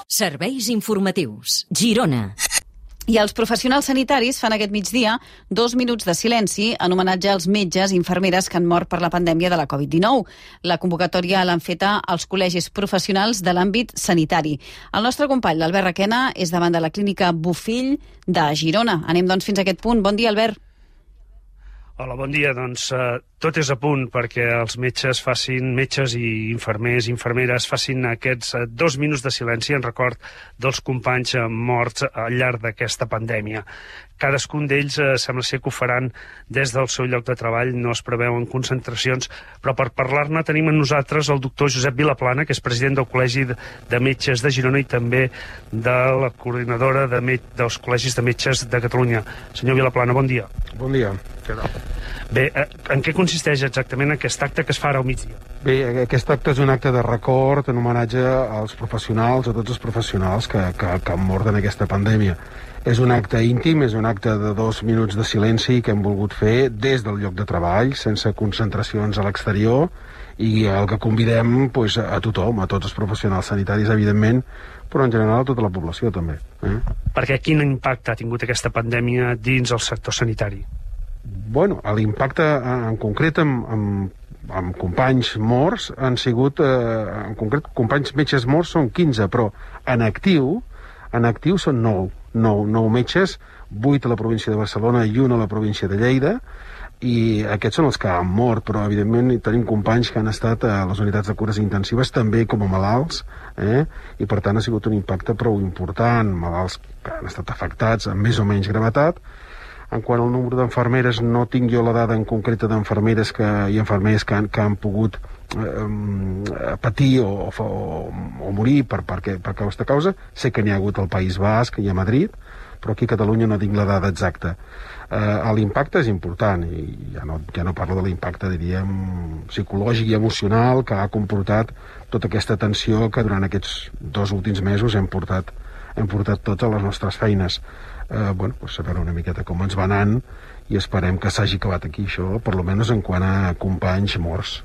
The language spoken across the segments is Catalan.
Serveis informatius. Girona. I els professionals sanitaris fan aquest migdia 2 minuts de silenci en homenatge als metges i infermeres que han mort per la pandèmia de la Covid-19. La convocatòria l'han feta als col·legis professionals de l'àmbit sanitari. El nostre company, l'Albert Requena, és davant de la clínica Bofill de Girona. Anem, doncs, fins a aquest punt. Bon dia, Albert. Hola, bon dia. Doncs tot és a punt perquè els metges i infermeres facin aquests 2 minuts de silenci en record dels companys morts al llarg d'aquesta pandèmia. Cadascun d'ells sembla ser que ho faran des del seu lloc de treball, no es preveuen concentracions, però per parlar-ne tenim amb nosaltres el doctor Josep Vilaplana, que és president del Col·legi de Metges de Girona i també de la coordinadora dels Col·legis de Metges de Catalunya. Senyor Vilaplana, bon dia. Bon dia. Què tal? Bé, en què consisteix exactament aquest acte que es fa ara al migdia? Bé, aquest acte és un acte de record en homenatge als professionals, a tots els professionals que han mort en aquesta pandèmia. És un acte íntim, és un acte de 2 minuts de silenci que hem volgut fer des del lloc de treball, sense concentracions a l'exterior, i el que convidem a tothom, a tots els professionals sanitaris, evidentment, però en general a tota la població també. Perquè quin impacte ha tingut aquesta pandèmia dins el sector sanitari? Bueno, l'impacte en concret amb companys morts han sigut, en concret, companys metges morts són 15, però en actiu són 9 metges, 8 a la província de Barcelona i 1 a la província de Lleida, i aquests són els que han mort, però evidentment tenim companys que han estat a les unitats de cures intensives també com a malalts, i per tant ha sigut un impacte prou important, malalts que han estat afectats amb més o menys gravetat. En quant al número d'enfermeres, no tinc jo la dada en concreta d'enfermeres i infermers que han pogut patir o morir per aquesta causa. Sé que n'hi ha hagut al País Basc i a Madrid, però aquí a Catalunya no tinc la dada exacta. L'impacte és important, i ja no parlo de l'impacte, diríem, psicològic i emocional que ha comportat tota aquesta tensió que durant aquests 2 últims mesos hem portat tots a les nostres feines. Saber una miqueta com ens va anant i esperem que s'hagi acabat aquí això, per almenys en quant a companys morts.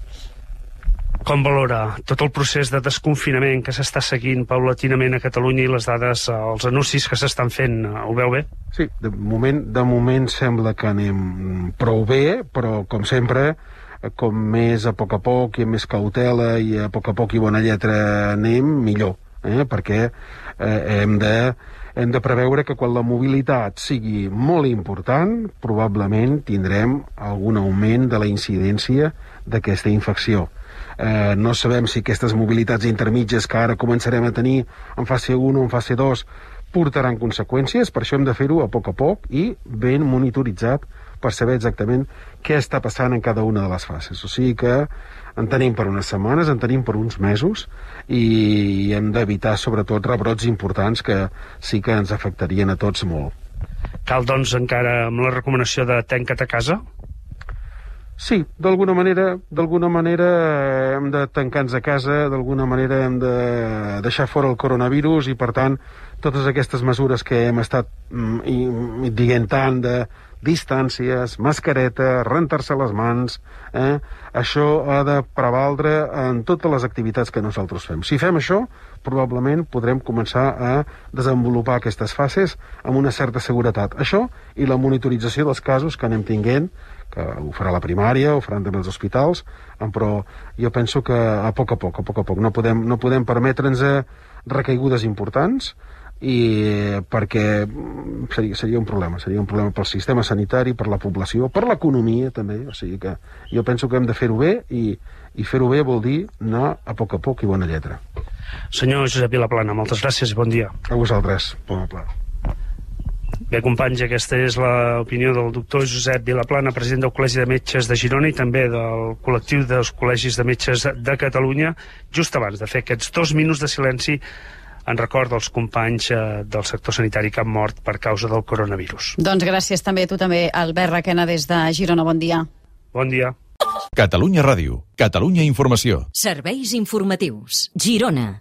Com valora tot el procés de desconfinament que s'està seguint paulatinament a Catalunya i les dades, els anuncis que s'estan fent, ho veu bé? Sí, de moment sembla que anem prou bé, però com sempre, com més a poc i amb més cautela i a poc i bona lletra anem, millor, perquè hem de preveure que quan la mobilitat sigui molt important, probablement tindrem algun augment de la incidència d'aquesta infecció. No sabem si aquestes mobilitats intermitges que ara començarem a tenir en fase 1 o en fase 2 portaran conseqüències, per això hem de fer-ho a poc i ben monitoritzat per saber exactament què està passant en cada una de les fases. O sigui que en tenim per unes setmanes, en tenim per uns mesos, i hem d'evitar sobretot rebrots importants que sí que ens afectarien a tots molt. Cal, doncs, encara amb la recomanació de tanca't a casa? Sí, d'alguna manera hem de tancar-nos a casa, d'alguna manera hem de deixar fora el coronavirus i, per tant, totes aquestes mesures que hem estat dient tant de distàncies, mascareta, rentar-se les mans, això ha de prevaldre en totes les activitats que nosaltres fem. Si fem això, probablement podrem començar a desenvolupar aquestes fases amb una certa seguretat. Això i la monitorització dels casos que anem tinguent, que ho farà la primària, ho faran també els hospitals, però jo penso que a poc a poc, no podem permetre'ns recaigudes importants, i perquè seria un problema pel sistema sanitari, per la població, per l'economia també, o sigui que jo penso que hem de fer-ho bé, i fer-ho bé vol dir anar a poc i bona lletra. Senyor Josep Vilaplana, moltes gràcies i bon dia. A vosaltres, bon pla. Bé, companys, aquesta és l'opinió del doctor Josep Vilaplana, president del Col·legi de Metges de Girona i també del col·lectiu dels Col·legis de Metges de Catalunya, just abans de fer aquests 2 minuts de silenci en record dels companys del sector sanitari que han mort per causa del coronavirus. Doncs gràcies també a tu també, Albert Requena, des de Girona. Bon dia. Bon dia. Catalunya Ràdio, Catalunya Informació. Serveis informatius. Girona.